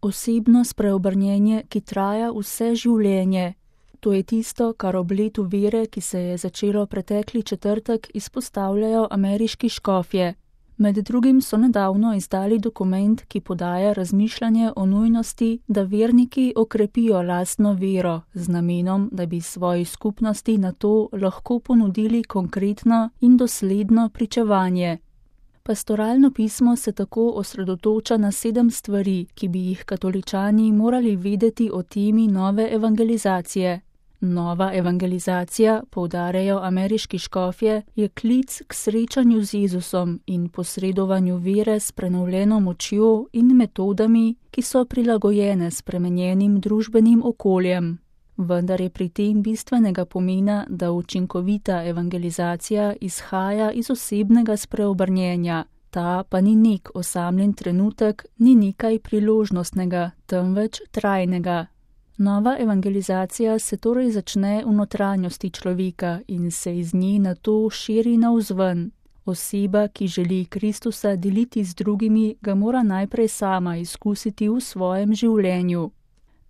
Osebno spreobrnjenje, ki traja vse življenje. To je tisto, kar ob letu vere, ki se je začelo pretekli četrtek, izpostavljajo ameriški škofje. Med drugim so nedavno izdali dokument, ki podaja razmišljanje o nujnosti, da verniki okrepijo lastno vero z namenom, da bi svoji skupnosti na to lahko ponudili konkretno in dosledno pričevanje. Pastoralno pismo se tako osredotoča na 7 stvari, ki bi jih katoličani morali vedeti o temi nove evangelizacije. Nova evangelizacija, poudarjajo ameriški škofje, je klic k srečanju z Jezusom in posredovanju vere s prenovljeno močjo in metodami, ki so prilagojene spremenjenim družbenim okoljem. Vendar je pri tem bistvenega pomena, da učinkovita evangelizacija izhaja iz osebnega spreobrnjenja. Ta pa ni nek osamljen trenutek, ni nekaj priložnostnega, temveč trajnega. Nova evangelizacija se torej začne v notranjosti človeka in se iz nje nato širi navzven. Oseba, ki želi Kristusa deliti z drugimi, ga mora najprej sama izkusiti v svojem življenju.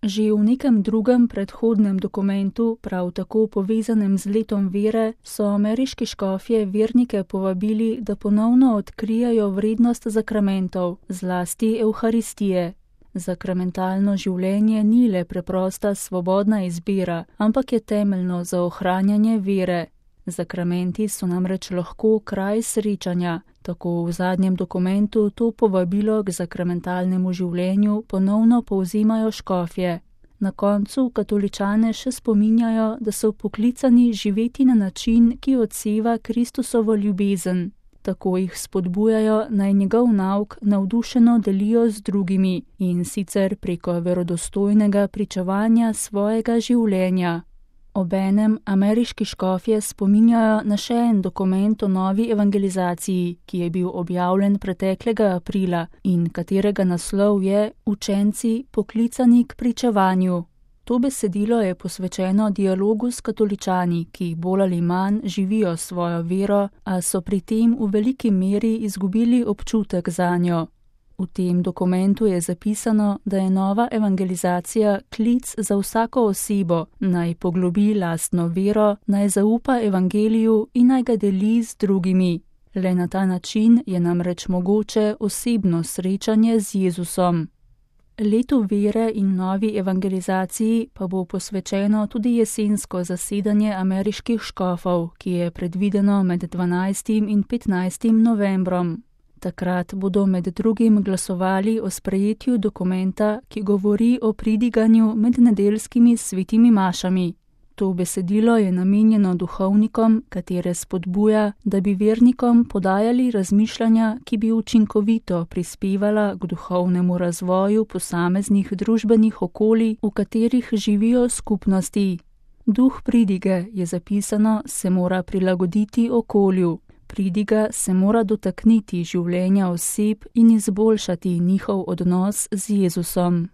Že v nekem drugem predhodnem dokumentu, prav tako povezanem z letom vere, so ameriški škofje vernike povabili, da ponovno odkrijajo vrednost zakramentov, zlasti evharistije. Zakramentalno življenje ni le preprosta svobodna izbira, ampak je temeljno za ohranjanje vere. Zakramenti so namreč lahko kraj srečanja. Tako v zadnjem dokumentu to povabilo k zakramentalnemu življenju ponovno povzemajo škofje. Na koncu katoličane še spominjajo, da so poklicani živeti na način, ki odseva Kristusovo ljubezen. Tako jih spodbujajo, naj njegov nauk navdušeno delijo z drugimi in sicer preko verodostojnega pričevanja svojega življenja. Obenem ameriški škofje spominjajo na še en dokument o novi evangelizaciji, ki je bil objavljen preteklega aprila in katerega naslov je Učenci poklicani k pričevanju. To besedilo je posvečeno dialogu s katoličani, ki bolj ali manj živijo svojo vero, a so pri tem v veliki meri izgubili občutek zanjo. V tem dokumentu je zapisano, da je nova evangelizacija klic za vsako osebo, naj poglobi lastno vero, naj zaupa evangeliju in naj ga deli z drugimi. Le na ta način je namreč mogoče osebno srečanje z Jezusom. Letu vere in novi evangelizaciji pa bo posvečeno tudi jesensko zasedanje ameriških škofov, ki je predvideno med 12. in 15. novembrom. Takrat bodo med drugim glasovali o sprejetju dokumenta, ki govori o pridiganju med nedeljskimi svetimi mašami. To besedilo je namenjeno duhovnikom, katere spodbuja, da bi vernikom podajali razmišljanja, ki bi učinkovito prispevala k duhovnemu razvoju posameznih družbenih okolij, v katerih živijo skupnosti. Duh pridige, je zapisano, se mora prilagoditi okolju. Pridiga se mora dotakniti življenja oseb in izboljšati njihov odnos z Jezusom.